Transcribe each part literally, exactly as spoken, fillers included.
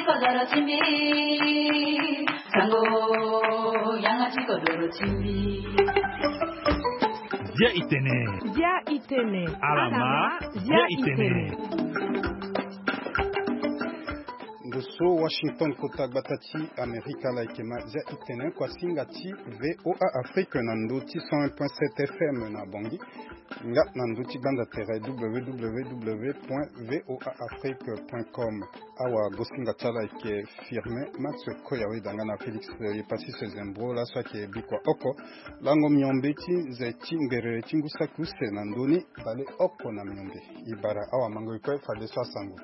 Kodoro ti mbi, sango, yanga ti kodoro ti mbi. Dia itene. Dia itene. Alama, dia itene. Ndo so Washington, kota gbata ti Amerika, la yeke ma dia itene, kuasinga ti V O A Afrique na ndo ti cent un point sept F M na Bangui. Nga na ndo ti gbanda tere W W W point V O A Afrique point com. Awa gosinga ti ala ayeke Firmin Max Koyawe, danga na Félix Yepasis Zembro, laso ayeke bikua oko lango miombe ti nze ti ngerere ti ngu saki use na ndö ni, bale oko na miombe. E bara awamango e kue fadeso asango.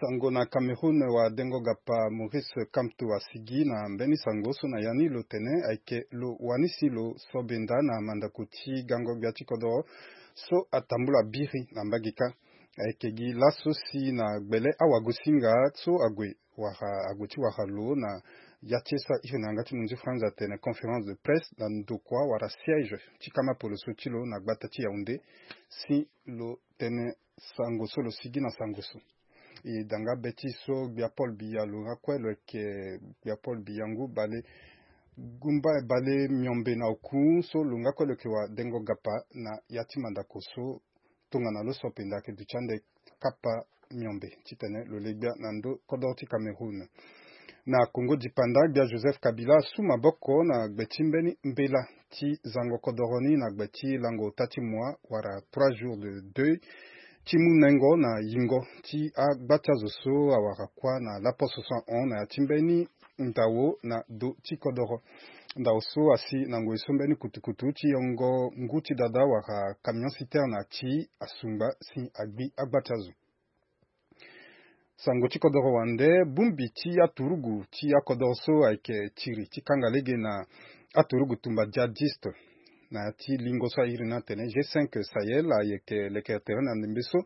Sango na Cameroun, wadengo gapa Maurice Kamto asigi na mbeni sango so na ya ni lo tene ayeke lo wani si lo sobenda na mandako ti gango gbia ti kodoro so atambula biri na mbage kâ. Ayeke gi laso si na gbele awagosinga so ague wara, ague ti wara lo na ya ti e so a iri na yanga ti munzu France atene conférence de presse na ndokua wala siège ti kama poloso ti lo na gbata ti Yaoundé, si lo tene sango so lo sigi na sango so. E danga be ti so gbia Paul Biya lo nga kue lo yeke, gbia Paul Biya ngu bale, gumba bale miombe na oku so lo nga kue lo yeke wadengo gapa na ya ti mandako so tongana lo so penda ayeke duti ande kapa miombe titene lo le gbia na ndö kodoro ti Cameroun. Na Congo dipanda, gbia Joseph Kabila asu maboko na gbe ti mbeni mbela ti zango kodoro ni na gbe ti lango ota ti mua wala trois jours de deuil ti mu nengo na yingo ti agba ti azo so awara kuâ na laposo so ahon na ya ti mbeni ndao na do ti kodoro. Ndao so asi na ngoi so mbeni kutukutu ti yongo ngu ti dada wala camion citerne ati asungba si agbi agba ti azo. Sango ti kodoro wande, bongbi ti aturugu ti akodoro so ayeke tiri ti kanga lege na aturugu tumba djihadiste na ya ti lingo so a iri ni atene G cinq Sahel ayeke lekere tere na ndembe so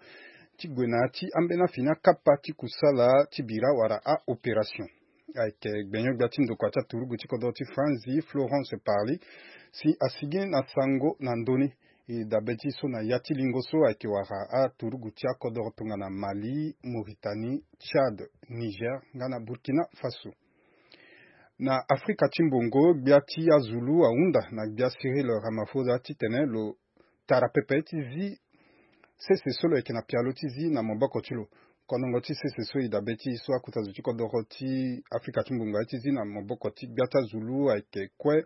ti gue na ya ti ambeni afini akapa ti kusala ti bira wala a-opération. Ayeke gbenyo-gbia ti ndokua ti aturugu ti kodoro ti Franzi, Florence Parly, si asigi na sango na ndö ni. E dabe ti so na ya ti lingo so ayeke wara aturugu ti akodoro tongana Mali, Mauritanie, Tchad, Niger nga na Burkina Faso. Na Afrika ti mbongo, gbia ti azulu ahunda na gbia Cyril Ramaphosa titene lo tara pepe ti zi sese so lo yeke na pialo ti zi na maboko ti lo. Konongo ti sese so e dabe ti e so akota zo ti kodoro ti Afrika ti mbongo aye ti zi na maboko ti gbia ti azulu ayeke kue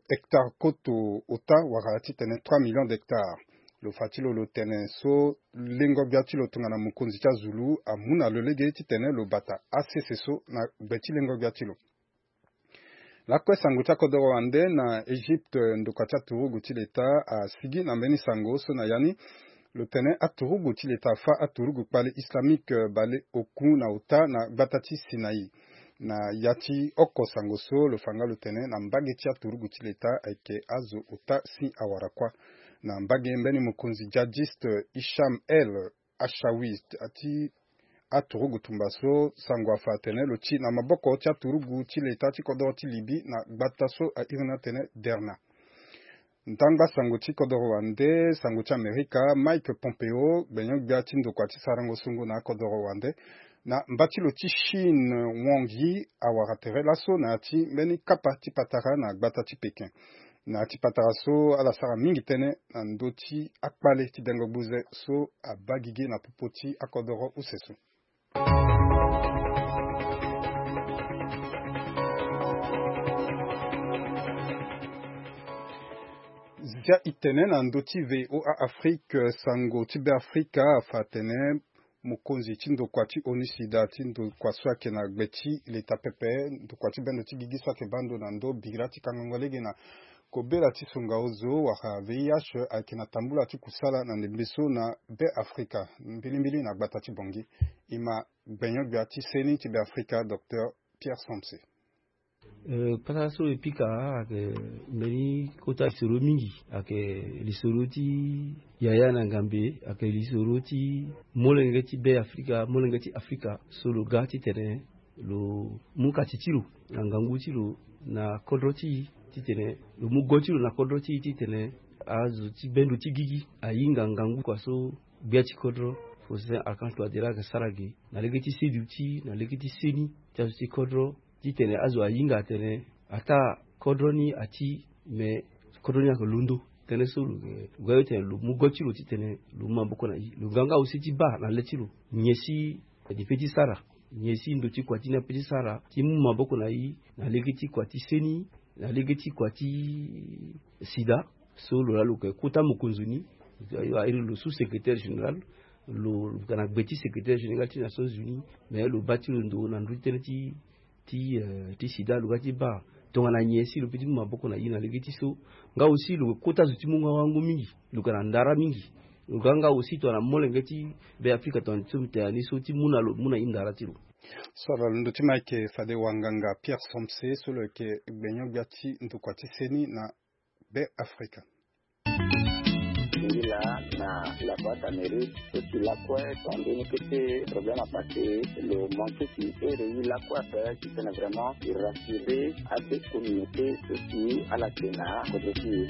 hectare koto ota wala titene trois millions d'hectares. Lo fa ti lo lo tene so lengo gbia ti lo tongana mokonzi ti azulu amu na lo lege titene lo bata asese so na gbe ti lengo gbia ti lo. Lakue sango ti akodoro wande na Egypte, ndokua ti aturugu ti leta asigi na mbeni sango so na ya ni lo tene aturugu ti leta afa aturugu kpale islamique bale oku na ota na gbata ti Sinaï. Na ya ti oko sango so lo fa nga lo tene na mbage ti aturugu ti leta ayeke azo ota si awara kuâ. Na mbage mbeni mokonzi djihadiste Hicham El Achawi ati aturugu tumba so sango afa atene lo ti na maboko ti aturugu ti leta ti kodoro ti Libye na gbata so a iri ni atene Derna. Ndangba sango ti kodoro wande, sango ti Amerika, Mike Pompeo, gbenyo-gbia ti ndokua ti sarango songo na akodoro wande, na mba ti lo ti Chine, Wang Yi, awara tere laso na ya ti mbeni kapa ti patara na gbata ti Pékin. Na ya ti patara so ala sara mingi tënë na ndö ti akpale ti dengo gbuze so abaa gigi na popo ti akodoro use so. Zia itene na ndö ti V O A Afrique, sango ti Beafrika afa atene mokonzi ti ndokua ti ONUSIDA ti ndokua so ayeke na gbe ti leta pepe, ndokua ti bendo ti gigi so ayeke baa ndo na ndö bira ti kangango lege na kobela ti songa ozo wala V I H ayeke na tambula ti kusala na ndembe so na Beafrika, mbilimbili na gbata ti Bangui. E ma gbenyo-gbia ti seni ti Beafrika, Docteur Pierre Somse. Eh, kpatara so e pika ayeke mbeni kota lisoro mingi, ayeke lisoro ti yaya na ngambe, ayeke lisoro ti molenge ti Beafrika, molenge ti Afrika so lo ga titene lo mu kati ti lo na ngangu ti lo na kodro ti e, titene lo mu go ti lo na kodro ti e titene azo ti bendo ti gigi ahinga ngangu kua so gbia ti kodro Faustin Archange Touadéra ayeke sara gi na lege ti seduti na lege ti seni ti azo ti kodro, titene azo ahinga atene ataa kodro ni ati, me kodro ni ayeke londo. Tënë so lo ga yo tene lo mu go ti lo titene lo mu maboko na i, lo ga nga aussi ti baa na le ti lo nyen si depe ti sara, nyen si ndo ti kua ti ni ape ti sara ti mu maboko na i na lege ti kua ti seni, na lege ti kua ti sida. So lo laa lo yeke kota mokonzo ni, airi lo sous secrétaire général, lo lo yeke na gbe ti secrétaire général ti Nations Unies. Mais lo baa ti lo ndo na ndö ti tënë ti ti eh, ti sida lo ga ti baa tongana nyen si lo peut ti mu maboko na i na lege ti so. Nga aussi lo kota zo ti mu nga wango mingi, lo ga na ndara mingi. Lo ga nga aussi tongana molenge ti Be Afrika tongana ti so mbi tene ni so ti mu na lo mu na i ndara ti lo. So ala londo ti ma ayeke fade wanganga Pierre Somse so lo yeke gbenyo-gbia ti ndokua ti seni na Be Afrika. Ngila na la voix d'Amérique, so si lakue tongana mbeni kete problème apassé, lo manqué si ere i lakue ape, si tene vraiment i rassurer abe communauté so si ala tene na kodro ti e.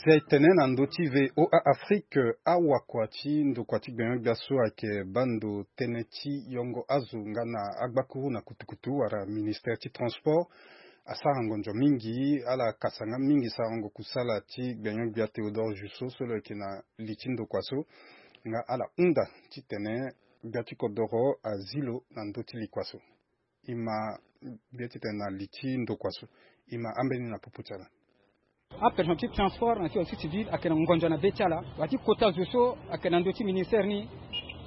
Zia e tene na ndö ti V O A Afrique, awakua ti ndokua ti gbenyo-gbia so ayeke baa ndo tënë ti yongo azo nga na agbakuru na kutukutu wala ministère ti transport asara ngonzo mingi, ala kasa nga mingi sarango kusala ti gbenyo-gbia Théodore Jusso so lo yeke na li ti ndokua so, nga ala hunda titene gbia ti kodoro azi lo na ndö ti likua so. E ma gbia titene na li ti ndokua so, e ma ambeni na popo ti ala. Apersonnel ti transport na ti société civile ayeke na ngonzo na be ti ala. Wa ti kota zo so ayeke na ndö ti ministère ni,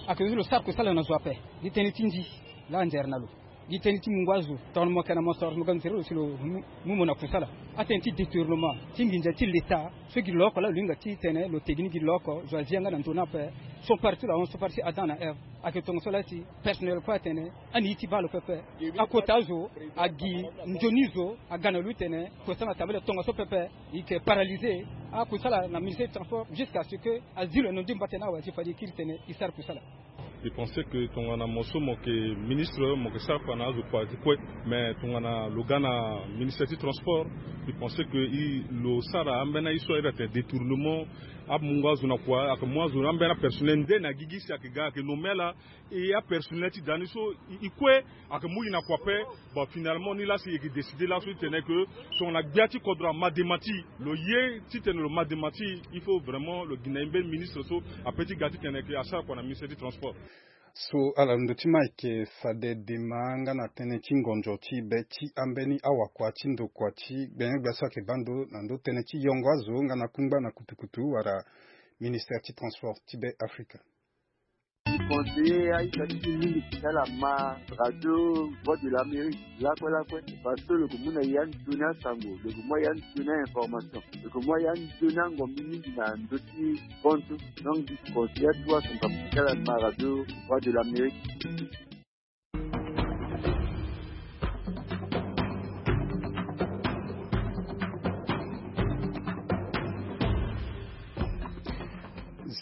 ayeke zo ti lo sara kusala na zo ape. Gi tënë ti ndi laa anzere na lo. Gi tënë ti mungo azo tongana mo yeke na mo soro mo ga nzere lo si lo mu, mu mo na kusala. Atënë ti détournement ti nginza ti leta so gi lo oko laa lo hinga titene lo tegi ni gi lo oko, zo azi yanga na ndö ni ape. So partout la hon so parti Adam na Ève. Ayeke tongaso laa ti personnel kue atene ani ye ti baa lo pepe. Akota azo agi nzoni zo aga na lo titene kusala na tabale tongaso pepe. E yeke paralysé akusala na ministère du transport jusqu'à ce que azi lo na ndo ti mbata ni awe si fade e kiri tene e sara kusala. E pensé que tongana mo so mo yeke ministre mo yeke sara kua na azo kua ti kue. Mais tongana lo ga na ministère ti transport, e pensé que e lo sara ambeni aye so ayeda tene détournement, amungo azo na kua, ayeke mu azo ambeni apersonnel nde na gigi si ayeke ga ayeke nommé ala. E apersonnel ti da ni so e, e kue ayeke mu e na kua ape. Bon, finalement ni laa si e yeke décidé laso titene que tongana gbia ti kodro ama dema ti e, lo ye titene lo ma dema ti e, il faut vraiment lo gi na e mbeni ministre so apeut ti ga titene que asara kua na ministère ti transport. So ala londo ti ma ayeke fade dema nga na tënë ti ngonzo ti be ti ambeni awakua ti ndokua ti gbenyo-gbia so ayeke baa ndo na ndö tënë ti yongo azo nga na kungba na kutukutu wala ministère ti transport ti Be Afrika. Conseiller aita ti mingi ti ala ma radio Voix de l'Amérique lakue lakue, parce que lo yeke mu na e anzoni asango, lo yeke mu na e anzoni ainformation, lo yeke mu na e anzoni angombi mingi na ndö ti kontu. Donc conseiller atu aso ngambo ti ala ma radio Voix de l'Amérique.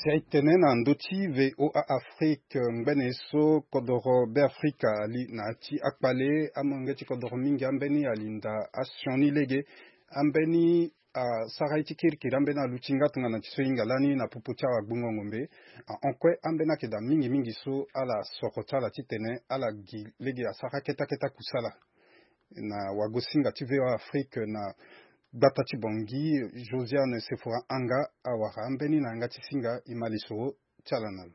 Si aye tene na ndö ti V O A Afrique, ngbene so kodoro Be Afrika ali na ya ti akpale, amolenge ti kodoro mingi ambeni ali nda asioni lege, ambeni asara ye ti kirikiri, ambeni aluti nga tongana ti so e hinga lani na popo ti awagbongo ngombe. Ahon kue ambeni ayeke daa mingi mingi so ala soro ti ala titene ala gi lege asara keta keta kusala. Na wagosinga ti V O A Afrique na gbata ti Bangui, Josiane Sefora Anga awara ambeni na yanga ti singa. E ma lisoro ti ala na lo.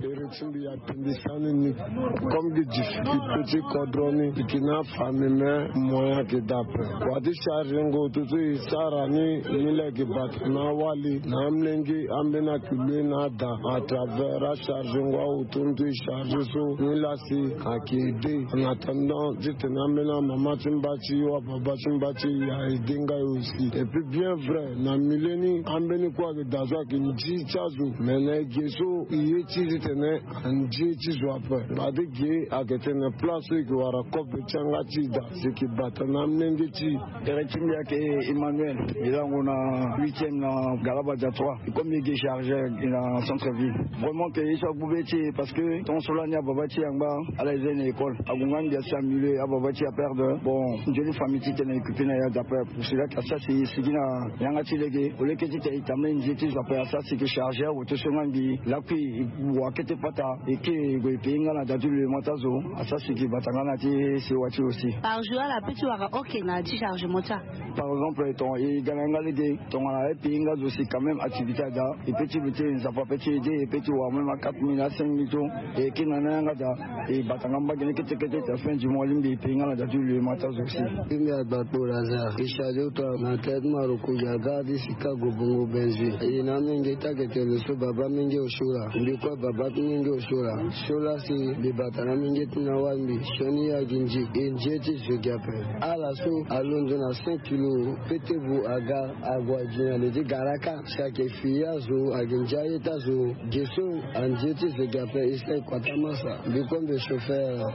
Ere ti mbi ape mbi sani ni. Comme gi difficulté ti kodro ni, mbi yeke na afamille me, moyen ayeke daa ape. Wa ti chargengo toto e sara ni, ni laa e yeke bata na awali na amolenge, ambeni ayeke loue na ada à travers achargengo awo tongaso e chargé so, ni laa si ayeke aidé. En attendant titene ambeni amama ti mba ti e wala baba ti mba ti e a aidé nga e aussi. Et puis bien vrai na milieu ni, ambeni kue ayeke daa so ayeke ndi ti azo, mais na e ge so e ye ti titene anze ti zo ape. Fade ge ayeke tene place so e ke wara kobe ti yanga ti e daa si e ke bata na amolenge ti e. Tere ti mbi ayeke Emmanuel, e lango na huitième na Galabadia trois. E comme e ge chargeur na centre ville. Vraiment que e so agbu be ti e parce que tant so lani ababa ti e angba ala e za e na école. Ague nga mbi asi amilieu ababa ti e aperdre. Bon, nzoni famille titene e occupe na ya daa ape. Pour cela que asara si e sigi na yanga ti lege. Au lieu que titene e tambula e nze ti zo ape, asara si e ke chargeur awe to so nga mbi lakui e wa kete pata. E ke e gue e pei nga na daa ti lulema ti azo. Asara si e ke bata nga na ti sewa ti e aussi. Par jour ala peut ti wara oke na ti chargement ti a? Par exemple, ton e ga na yanga lege, tongana e pei nga zo si quand même activité ada, e peut ti lutter, Nzapa peut ti aider, e peut ti wara même a quatre mille à cinq mille to. E ke na ni na yanga daa, e bata nga mbage ni kete kete ti fin du mois, lingbi e pei nga na daa ti lulema ti azo si. Mbi agba kpo Lazare, e chargé auto na tête Maroko, ya gare ti Chicago, bongo Benzi. E na amenge ti ayeke tene so baba amenge osio laa. Mbi kue baba ti menge osio laa. Sio laa si mbi bata na amenge ti na wâ mbi sioni ayeke nzi. E nze ti zo gi ape. Ala so alondo na cinq kilo, pete vo aga ague agi na le ti garaka. Si ayeke fi azo, ayeke ndia ye ti azo. Ge so anze ti zo gi ape, e sara e kua ti amasa. Mbi kue mbi chauffeur.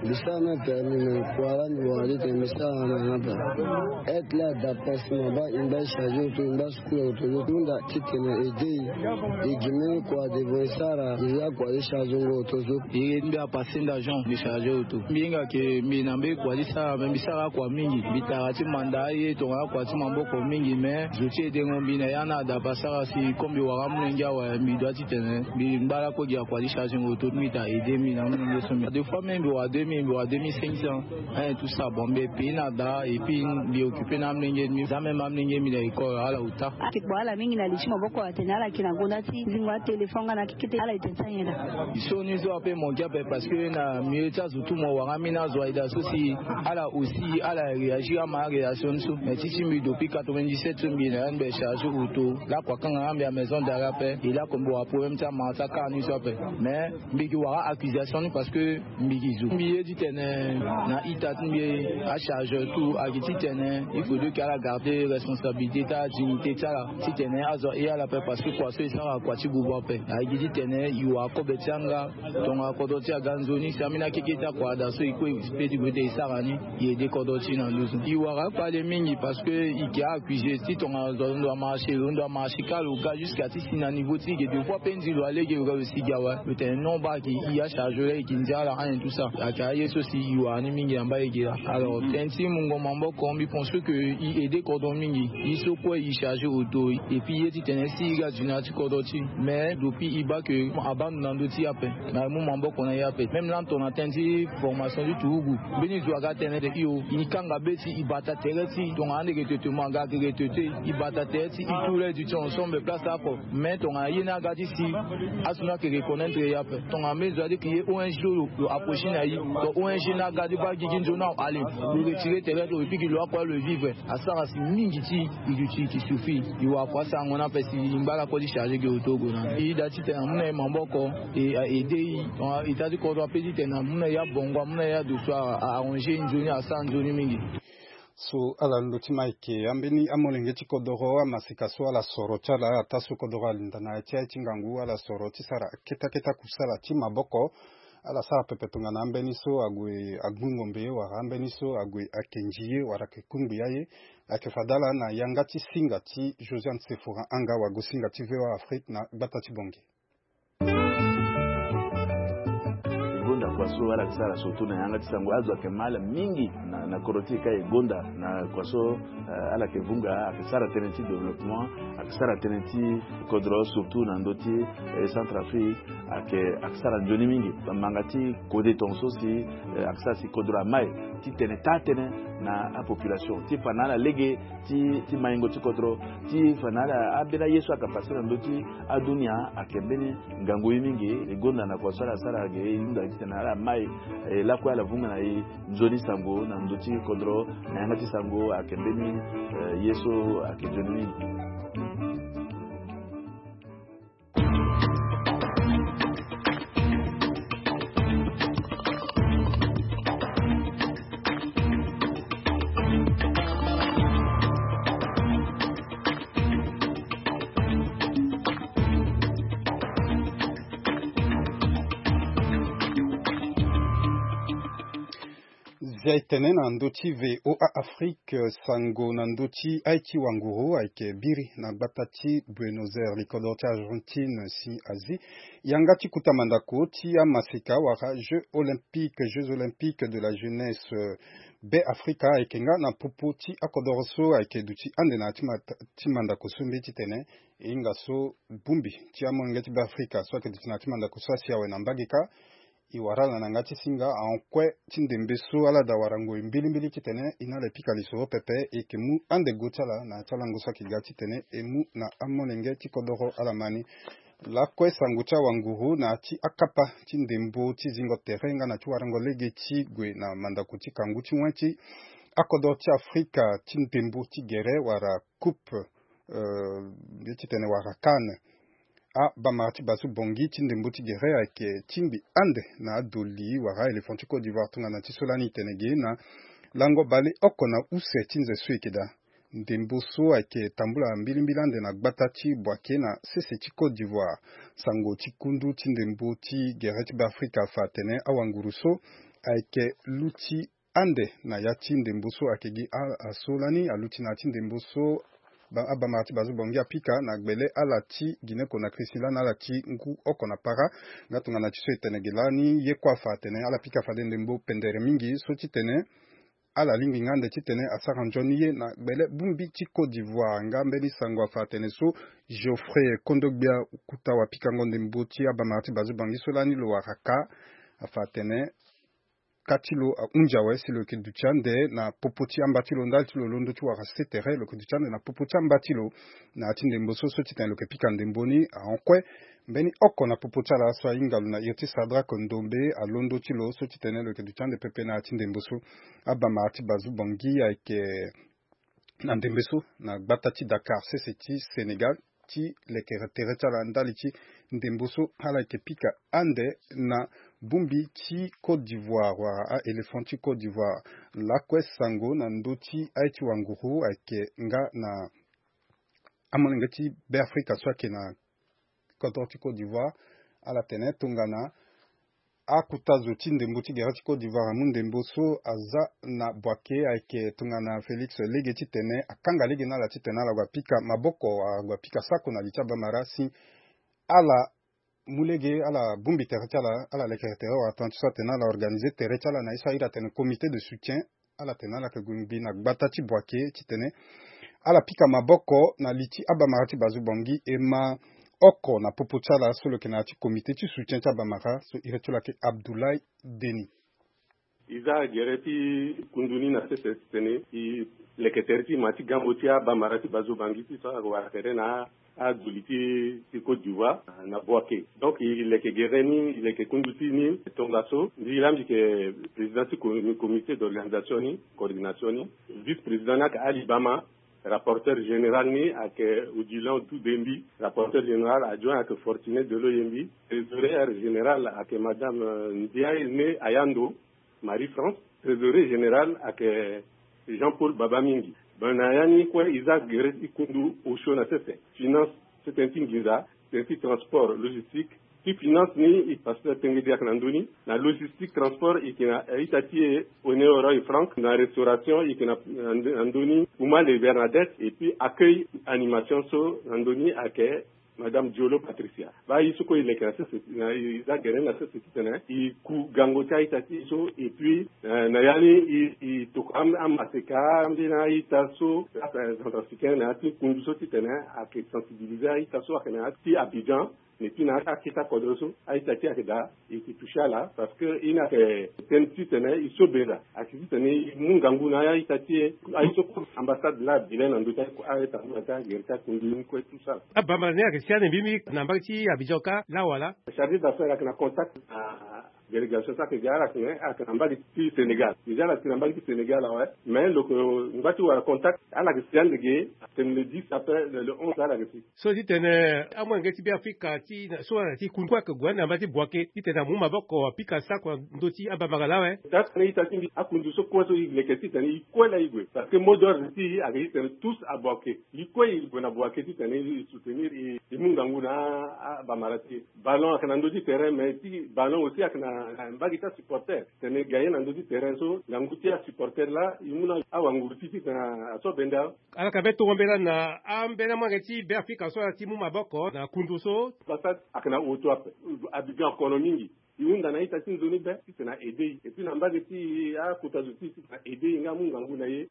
Mbi sara même permis, mais kua laa mbi wara ti tene mbi sara na ni ape. Aide laa ada ape si mo baa e ngba e chargé auto, e ngba sukulu auto, e hunda titene e aidé e. E gi même kua devant e sara, e ya kua ti chargé ngo auto so. E mbi apasenda Jean, mbi chargé auto. Mbi hinga ke mbi na mbeni kua ti sara, mais mbi sara akua mingi. Mbi tara ti manda aye tongana akua ti maboko mingi, mais zo ti aidé ngo, mbi na ya na ada ape asara si comme mbi wara amolenge awe, mbi doit titene mbi ngba lakue gi akua ti chargé ngo auto ti mbi ta aidé mbi na amolenge so. Mbi des fois même mbi wara deux mille, mbi wara deux mille cinq cents. Hein, tout ça, bon, mbi pei na da, et puis mbi occupé na amolenge ti mbi. Za même amolenge ti mbi na école ala uta. Ayeke kpo ala mingi na li ti maboko atene ala yeke na gonda ti zingo atéléphone nga na kekete, ala e tene ti anyen daa. Sioni so ape mo gi ape parce que na milieu ti azo tout mo wara ambeni azo aye daa so si ala aussi ala réagir ama aréaction ni so. Mais ti ti mbi depuis quatre-vingt-dix-sept so mbi na ya ni mbi chargé auto. Lakua kanga nga mbi a maison d'arrêt ape. E lakue mbi wara problème ti amara ti akara ni so ape. Mais mbi gi wara accusation ni parce que mbi gi zo. Mbi ye titene na ita ti mbi achargeur tout ayeke titene il faudrait que ala garder responsabilité ti adignité ti ala. Titene azo aye ala ape parce que kua so e sara kua ti bubu ape. Ayeke titene e wara kobe ti yanga. Tongana kodro ti e aga nzoni si ambeni akeke ti akua ada so e kue e peut ti gue ti e sara ni. E aidé kodro ti e na nduzu. E wara akpale mingi parce que e yeke accusé ti tongana zo alondo amarché, lo ndo amarché kâ lo ga jusqu'à ti si na niveau ti e ge deux fois pe nzi lo alege lo ga lo si gi awe. Lo tene non baa ayeke e achargeur la e yeke ndia ala anyen tout ça. Ayeke aye so si e wara ni mingi na mba e ge laa. Alors tënë ti mungo maboko mbi pense que e aidé kodro mingi. E so kue e chargé auto et puis e ye titene si e ga dina ti kodro ti e. Mais depuis e baa que abando na ndö ti e ape. Na e mu maboko na e ape. Même lani tongana tënë ti formation ti turugu. Mbeni zo aga tene de io. E kanga be ti e bata tere ti tongana ande recrutement aga ke recruté. E bata tere ti e tout le du temps ensemble place apo. Mais tongana ye ni aga ti si azo ni ayeke reconnaître e ape. Tongana mbeni zo ade ke ye O N G so lo, lo approché na e. Donc O N G ni aga ti baa gigi nzoni awe ale. Lo retiré tere ti lo et puis gi lo akue lo vivre. Asara si mingi ti e duti e yeke souffrir. E wara kua asango ni ape si e ngba lakue ti chargé gi auto gue na e. E da titene amu na e maboko e a aidé e. Tongana ita ti kodro ape titene amu na e abongo, amu na e adoso, a arrangé e nzoni, asara nzoni mingi. So ala ndo ti ma eke ambeni amolenge ti kodoro amaseka so ala soro ti ala ataa so kodoro alinda na ya ti aye ti ngangu ala soro ti sara keta keta kusala ti maboko. Ala sara pepe tongana ambeni so ague agbu ngombe wala ambeni so ague ake nzi ye wala ake kungbi aye. Ayeke fade ala na yanga ti singa ti Josiane Sephora Anga wago singa ti V O A Afrique na gbata ti Bangui. E gonda kua so ala yeke sara surtout na yanga ti sango azo ayeke ma ala mingi na, na kodro ti e ka e gonda na kua so, eh, ala yeke vunga ayeke sara tënë ti développement, ayeke sara tënë ti kodro surtout na ndö ti, eh, Centrafrique. Ayeke, ayeke sara nzoni mingi. Bamanga ti kode tongaso si, eh, ayeke sara si kodro amai titene taa tënë na apopulation ti fa na ala lege ti, ti maingo ti kodro ti fa na ala ambeni aye so ayeke pase na ndö ti adunia. Ayeke mbeni ngangu ye mingi. E gonda na kua so ala sara ge e hunda titene ala mai, eh, lakue ala vunga na e nzoni sango na ndö ti kodro na yanga ti sango ayeke mbeni, eh, ye so ayeke nzoni mingi. Dia etene na ndö ti VOA Afrique, sango na ndö ti aye ti wanguru ayeke biri na gbata ti Buenos Aires, li kodro ti Argentine si azi yanga ti kuta mandako ti amaseka wala Jeux olympiques, Jeux olympiques de la jeunesse, Be Afrika ayeke nga na popo ti akodoro so ayeke duti ande na ya ti ma- ti mandako so mbi titene e hinga so bongbi ti amolenge ti Be Afrika so ayeke duti na ya ti mandako so asi awe na mbage kâ. E wara ala na yanga ti singa ahon kue ti ndembe so ala daa wara ngoi mbilimbili titene e na ala e pika lisoro pepe, e yeke mu ande go ti ala na ya ti alango so ayeke ga titene e mu na amolenge ti kodoro ala ma ni. Lakue sango ti awanguru na ya ti akapa ti ndembo ti zingo tere nga na ti warango lege ti gue na mandako ti kangu ti wen ti akodoro ti Afrika ti ndembo ti gere wala coupe, eh, nde titene wala CAN. Abamara ti Bazu Bongi ti ndembo ti gere ayeke tingbi ande na adoli wala aéléphant ti Côte d'Ivoire tongana ti so lani e tene ge na lango baleoko na use ti nze so e yeke daa. Ndembo so ayeke tambula mbilimbili ande na gbata ti Boaké na sese ti Côte d'Ivoire. Sango ti kundu ti ndembo ti gere ti Be Afrika afa atene awanguru so ayeke luti ande na ya ti ndembo so ayeke gi a- aso lani aluti na ya ti ndembo so ba- abamara ti Bazu Bongi apika na gbele ala ti Guinée Conakry si lani ala ti ngu oko na para. Nga tongana ti so e tene ge lani ye kue afa atene ala pika fade ndembo pendere mingi so titene ala lingbi nga ande titene asara nzoni ye na gbele bongbi ti Côte d'Ivoire. Nga mbeni sango afa atene so Geoffrey Kondogbia Okuta wapikango ndembo ti abamara ti Bazu Bongi so lani lo wara kâ afa atene kâ ti lo ahunzi awe si lo yeke duti ande na popo ti amba ti lo ndali ti lo londo ti wara se tere lo yeke duti ande na popo ti amba ti lo na ya ti ndembo so so titene lo yeke pika ndembo ni ahon kue. Mbeni oko na popo ti ala so ahinga lo na iri ti Sadrak Ndombe alondo ti lo so titene lo yeke duti ande pepe na ya ti ndembo so. Abamara ti Bazu Bongi ayeke na ndembe so na gbata ti Dakar sese ti Sénégal ti lekere tere ti ala ndali ti ndembo so ala yeke pika ande na bongbi ti Côte d'Ivoire wala aéléphant ti Côte d'Ivoire. Lakue sango na ndö ti aye ti wanguru ayeke nga na amolenge ti Be Afrika so ayeke na kodro ti Côte d'Ivoire. Ala tene tongana akuta zo ti ndembo ti gere ti Côte d'Ivoire amu ndembo so aza na Boaké ayeke tongana Félix lege titene akanga lege na ala titene ala gue apika maboko, ala gue apika sako na li ti abamara si ala mu lege ala bongbi tere ti ala, ala lekere tere wala tongana ti so atene ala organiser tere ti ala na ye so ahiri atene comité de soutien. Ala tene ala yeke gue ngbi na gbata ti Boaké titene ala pika maboko na li ti abamara ti Bazu Bongi e ma oko na popo ti ala so lo yeke na ya ti comité ti soutien ti abamara so iri ti lo ayeke Abdoulaye Denis. E za gere ti kundu ni na sese titene e leke tere ti ma ti gambo ti abamara ti Bazu Bongi ti so ayeke wara tere na aduli ti ti Côte d'Ivoire na Boaké. Donc e leke gere ni, e leke kundu ti ni tongaso. Mbi laa mbi yeke président ti co- comité d'organisation ni, coordination ni. Vice-président ni ayeke Ali Bama. Rapporteur général ni ayeke Odilon Toudembi. Rapporteur général adjoint ayeke Fortuné Delo Yembi. Trésorière générale ayeke madame, euh, Ndiaye Ne Ayando. Marie-France, trésorier général ayeke Jean-Paul Babamingi. Bana ya ni kue e za gere ti kundu osio na sese. Finance, sese ti nginza, sese ti transport, logistique. Ti finance ni e pasteur Tengedi ayeke na ndö ni. Na logistique, transport e yeke na ita ti e Honoré Franck. Na restauration e yeke na, na ndö ni Oumale Bernadette. Et puis accueil, animation so na ndö ni ayeke Madame Diolo Patricia. Baa ye so kue e leke na sese na e za gere na sese titene e ku gango ti a-ita ti e so. Et puis, eh, na ya ni e e tokua am- amaseka ambeni a-ita so, a- centrafricain na ya ti kundu so titene ayeke sensibiliser a-ita so ayeke na ya ti Abidjan. Mais puis na akete akodro so a-ita ti e ayeke daa. E yeke toucher ala parce que e ni ayeke tene titene e so beza ayeke titene e mu ngangu na a-ita ti e. Aye so kue ambassade laa Bénin na ndö ti aye tambula ti agere ti akundu ni kue tout ça. Abamara ni ayeke si ande mbi mbi na mbage ti Abidjan kâ laa wala? Chargé d'affaires ayeke na contact na délégation so ayeke ga ala yeke na mbage ti Sénégal. Déjà ala yeke na mbage ti Sénégal awe. Mais lo yeke ngba ti wara contact ala yeke si ande ge. Tene le dix après le onze ala yeke si. So ti tene amolenge ti Be Afrika ti na so ala ti kundu kue ayeke gue ande na mbage ti Boaké titene amu maboko apika sako na ndö ti abamara lawe. Taa tene ita ti mbi akundu so kue so e leke titene e kue laa e gue parce que mot d'ordre ti e ayeke titene tous à Boaké. E kue e gue na Boaké titene e soutenir e e mu ngangu na abamara ti e. Ballon ayeke na ndö ti terrain mais ti ballon aussi ayeke na Na mbage ti asupporter tene gagner na ndö ti terrain so ngangu ti asupporter laa e mu na awanguru ti titene aso benda. Ala ka be tongo mbela na ambela mange ti Beafrika so ala ti mu maboko na kundu so. Basa ayeke na auto ape. Abibi akono mingi. E hunda na ita ti nzoni be titene a aide e. Et puis na mbage ti akota zo ti titene a aide e nga amu ngangu na ye.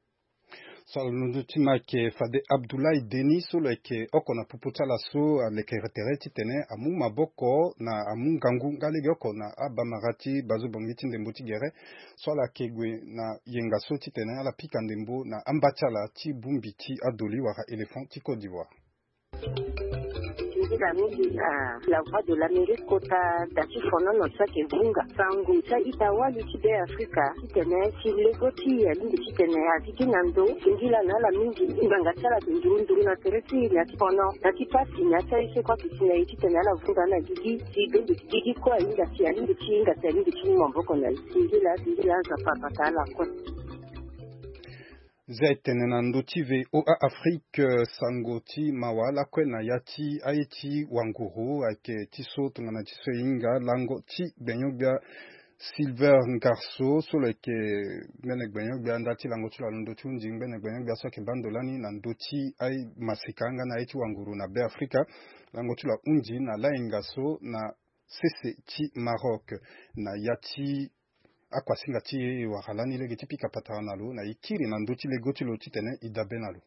So ala londo ti ma ayeke fade Abdoulaye Denis so lo yeke oko na popo ti ala so alekere tere titene amu maboko na amu ngangu nga legeoko na abamara ti bazo bongi ti ndembo ti gere. So ala yeke gue na yenga so titene ala pika ndembo na amba ti ala ti bongbi ti adoli wala éléphant ti Côte d'Ivoire. Nzila mingi na La Voix de l'Amérique kota da ti fonono ti ayeke vunga sango ti a-ita wali ti Beafrika titene si lego ti e alingbi titene aviki na ndo. Singila na ala mingi ngbanga ti ala ayeke nduru nduru na tere ti e na ti fono na ti pasi na ya ti aye so kue ayeke si na e titene ala vunga na gigi. Si bende ti gigi kue ahinga si alingbi ti hinga si alingbi ti mu maboko na e. Singila singila Nzapa abata ala kue. Zia e tene na ndö ti V O A Afrique, eh, sango ti mawa lakue na ya ti aye ti wanguru ayeke ti so tongana ti so e hinga lango ti gbenyo-gbia Silver Ngarso so lo yeke mbene gbenyo-gbia nda ti lango ti lo alondo ti hunzi mbene gbenyo-gbia so ayeke baa ndo lani na ndö ti aye maseka nga na aye ti wanguru na Beafrika. Lango ti lo ahunzi na layenga so na sese ti Maroc na ya ti akuasinga ti e wara lani lege ti pika patara na lo na e kiri na ndö ti lego ti lo titene e dabe na lo.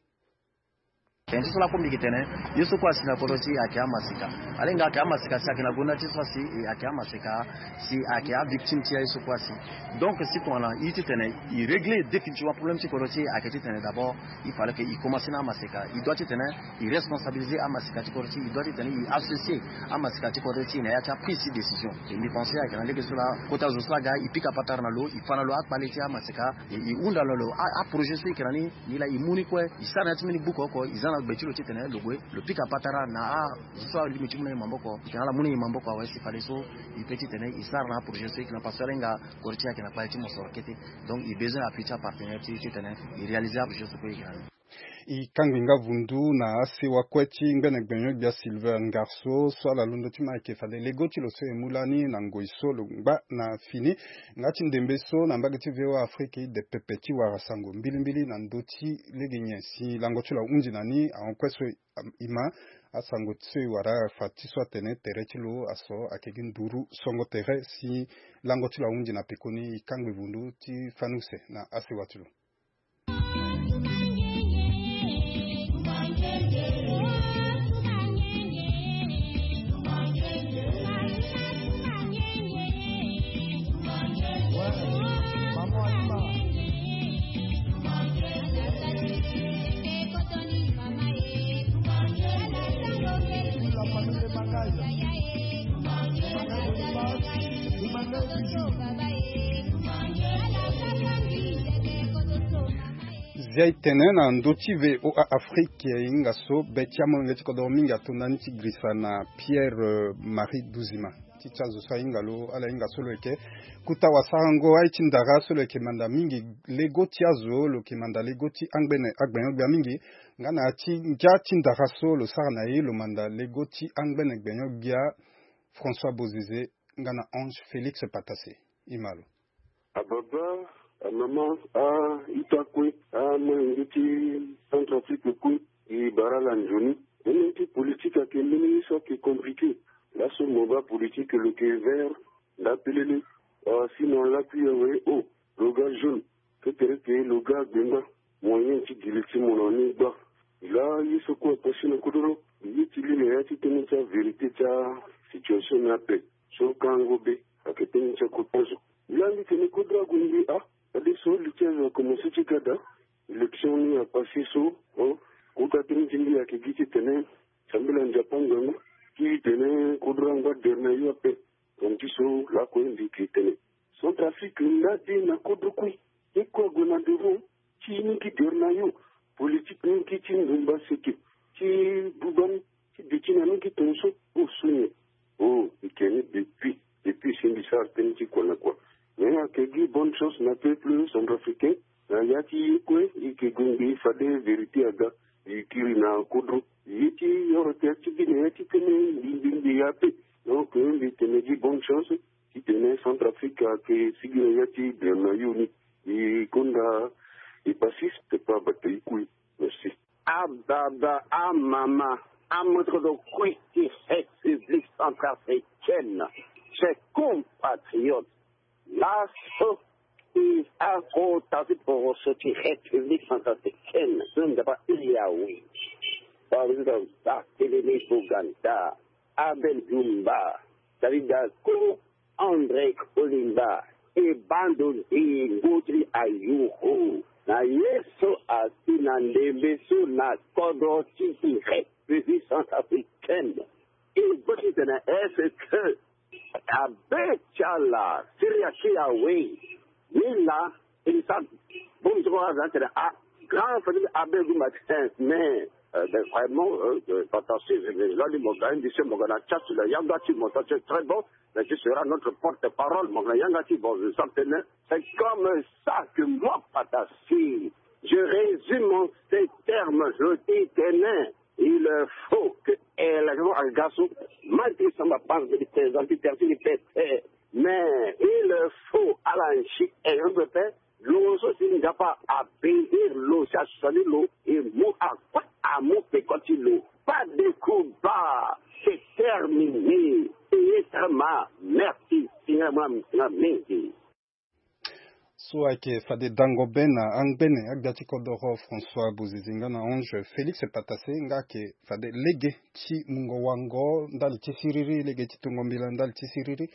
Tene ti so lakue mbi yeke tene ye so kue asi na kodro ti e ayeke amaseka. Alenga ayeke amaseka si ayeke na gonda ti so asi e ayeke amaseka si ayeke avictime ti aye so kue asi. Donc si tongana e titene e régler définitivement problème ti kodro ti e ayeke titene d'abord il fallait que e commencer na amaseka. E doit titene e responsabiliser amaseka ti kodro ti e. E doit titene e associer amaseka ti kodro ti e na ya ti aprise ti décision. E mbi pense ayeke na lege so laa kota zo so aga e pika patara na lo, e fa na lo akpale ti amaseka, e, e hunda na lo a, aprojet so e yeke na ni. Ni laa e mu ni kue, e sara na ya ti mbeni buku oko, e za na gbe ti lo titene lo gue lo pika patara na azo so alingbi ti mu na e maboko. E yeke na ala mu na e maboko awe si fade so e peut titene e sara na aprojet so e yeke na, parce que alenga kodro ti e ayeke na kpale ti mosoro kete. Donc e besoin appui ti apartenaire ti e titene e réaliser aprojet so kue e yeke na ni. E kangbi nga vundu na asewa kue ti ngbene gbenyo-gbia Silver Ngarso so ala londo ti ma ayeke fade lego ti lo so e mu lani na ngoi so lo ngba na fini. Nga ti ndembe so na mbage ti V O A Afrique e de pepe ti wara sango mbilimbili na ndö ti lege nyen si lango ti lo ahunzi na ni ahon kue so e ma. Asango so e wara afa ti so atene tere ti lo aso ayeke gi nduru songo tere si lango ti lo ahunzi na pekoni. E kangbi vundu ti fani use na asewa ti lo. Zia e tene na ndö ti V O A Afrique e hinga so be ti amolenge ti kodoro mingi ato ndani ti girisa na Pierre, euh, Marie Duzima. Ti ti azo so ahinga lo ala hinga so lo yeke kuta wasarango aye ti ndara so lo yeke manda mingi lego ti azo, lo yeke manda lego ti angbene agbenyo-gbia mingi. Nga na ya ti ngia ti ndara so lo sara na e lo manda lego ti angbene gbenyo-gbia François Bozizé nga na Ange Félix Patassé. E ma lo. Ababa, amama, a-ita kue, amolenge ti Centrafrique kue, e bara ala nzoni. Mbeni ti politique ayeke mbeni ye so ayeke compliqué. Laso mo baa politique lo yeke vert, nda pelele. Ah, sinon lakui awe, oh, lo ga jaune. Kekereke lo ga gbenga. Moyen ti giri ti mo na ni gba. Laa ye so kue apasé na kodoro. Ye ti li na ya ti tënë ti avérité ti asituation ni ape. So kango be ayeke tënë ti akota zo. Laa mbi tene kodro ague mbi, ah, fadeso li ti azo akomanse ti ga daa. Élection ni apasé so, oh, kota tënë ti mbi ayeke gi titene sambela Nzapa ngangu ti tene kodro angba dere na yo ape. Tongana ti so lakue mbi yeke tene Centrafrique nda de na kodro kue. Ye kue ague na devant ti ni gi dere na yo. Politique ni gi ti ndumba seke, ti buba ni, ti duti na ni gi tongaso. Oh, so nyen? Oh, e yeke ni depuis, depuis si mbi sara tënë ti kua na kua. Mais ayeke gi bonne chance na peuple centrafricain. Na ya ti ye kue e yeke gue ngbii fade vérité aga. E kiri na kodro. Ye ti oro tere ti gi na ya ti tënë mbi mbi mbi ya ape. Donc mbi tene gi bonne chance. Titene Centrafrique ayeke sigi na ya ti dema yo ni. E konda e pasis te pa bata e kui. Merci. Ababa, amama, amoto kodro kui ti République centrafricaine, chers compatriotes. Laso e akota ti poroso ti République centrafricaine so nzapa iri awe. Président Barthélémy Boganda, Abel Djoumba, David Daco, André Kolimba, e bando nzingo ti ayuru na ye so asi na ndembe so na kodro ti République centrafricaine. E bâ titene est-ce que abe ti ala siri asi awe? Ni laa e sa bongbi so aza tene a grand famille abe gumba ti mais euh, ben, vraiment euh, euh, pata si je vais là mo ga indi se mo ga na chat la yanga ti mo ta c'est très bon. Mais tu seras notre porte-parole mo ga na yanga ti bon je sens tene c'est comme ça que moi pata si je résume en ces termes. Je dis tene il faut que eh, la maison al gaso manti samba panse de présenter tertini pete mais il faut ala nsi exemple pe lo so si nzapa abénir lo si asali lo e mu akue amu peko ti lo. Pas de combat, c'est terminé. Payé très mal. Merci. Seigneur moi seigneur mingi. So ayeke fade dango be na angbene agbia ti kodoro François Bozizi nga na Ange Félix Patassé nga ayeke fade lege ti mungo wango ndali ti siriri lege ti tongo mbila ndali ti siriri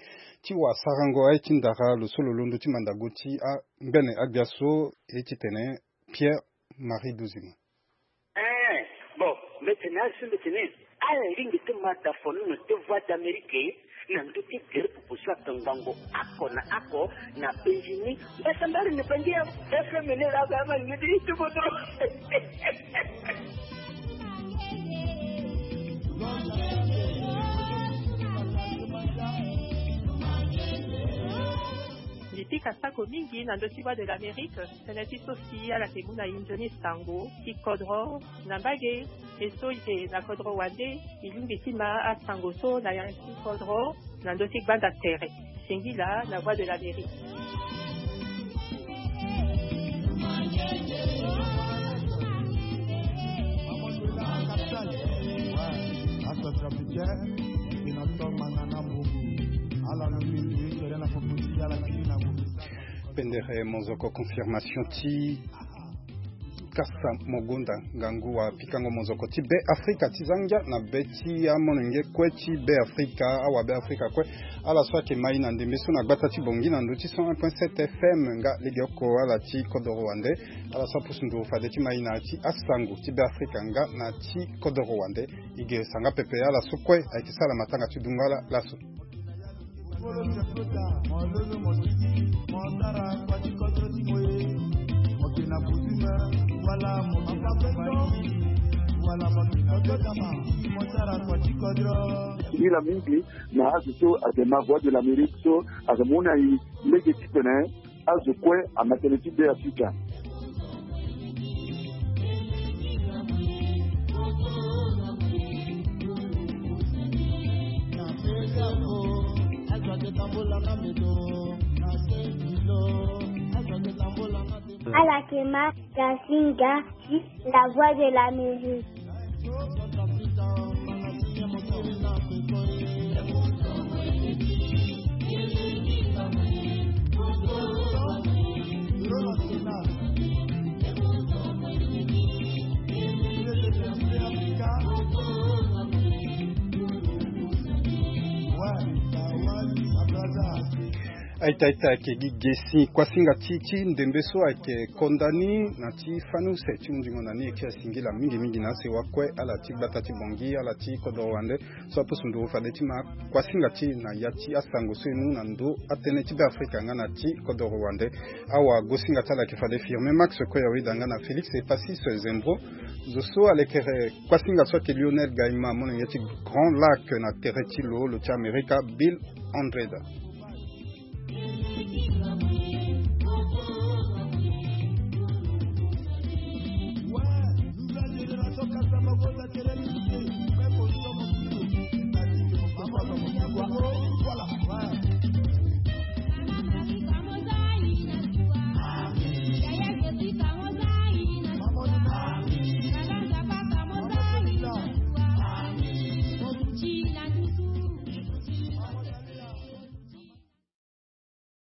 ti wasarango aye ti ndara lo so lo londo ti mandango ti angbene agbia so e titene Pierre Marie Duzima. Ee, bon, mbi tene azo mbi tene ala lingbi ti ma da fo nono ti Voix d'Amérique na ndö ti gere proposition atongbango oko na oko na penzi ni. Mbasambari ni bangi ya F M ni la ga ma ngidi ti kodro. Mbi pika sako mingi na ndö ti Voix de l'Amérique. Tënë ti so si ala yeke mu na e nzoni sango ti kodro na mbage. E so e yeke na kodro wande e lingbi ti ma asango so na yanga ti kodro na ndö ti gbanda tere. Singila na Voix de l'Amérique. Pendere mozoko confirmation ti kasa mogonda ngangu wa pikango mozoko ti be afrika ti zangia na be ti amolenge kue ti be afrika awa be afrika kue. Ala so ayeke mai na ndembe so na gbata ti bongi na ndö ti cent un point sept F M nga legeoko ala ti kodoro wande. Ala so apusu nduru fade ti mai na ya ti asango ti be afrika nga na ti kodoro wande. E ge sanga pepe ala so kue ayeke sara matanga ti dungo ala laso. Singila mingi na azo so ayeke na Voix de l'Amérique so ayeke mu na e lege titene azo kue ama tënë ti be afrika. Ala yeke ma da singa ti La Voix de l'Amérique. Aita aita ayeke gi gesi kuasinga ti ti ndembe so ayeke konda ni na ti fani use ti hunzingo na ni e ti asingila mingi mingi na asewa kue ala ti gbata ti bongi ala ti kodoro wande. So apusu nduru fade ti ma kuasinga ti na ya ti asango so e mu na ndö atënë ti be afrika nga na ti kodoro wande. Awagosinga ti ala ayeke fade firme max koyawida nga na félix epasis zembro. Zo so alekere kuasinga so ayeke lionel gaima molenge ti grand lac na tere ti lo lo ti amerika bill andreda.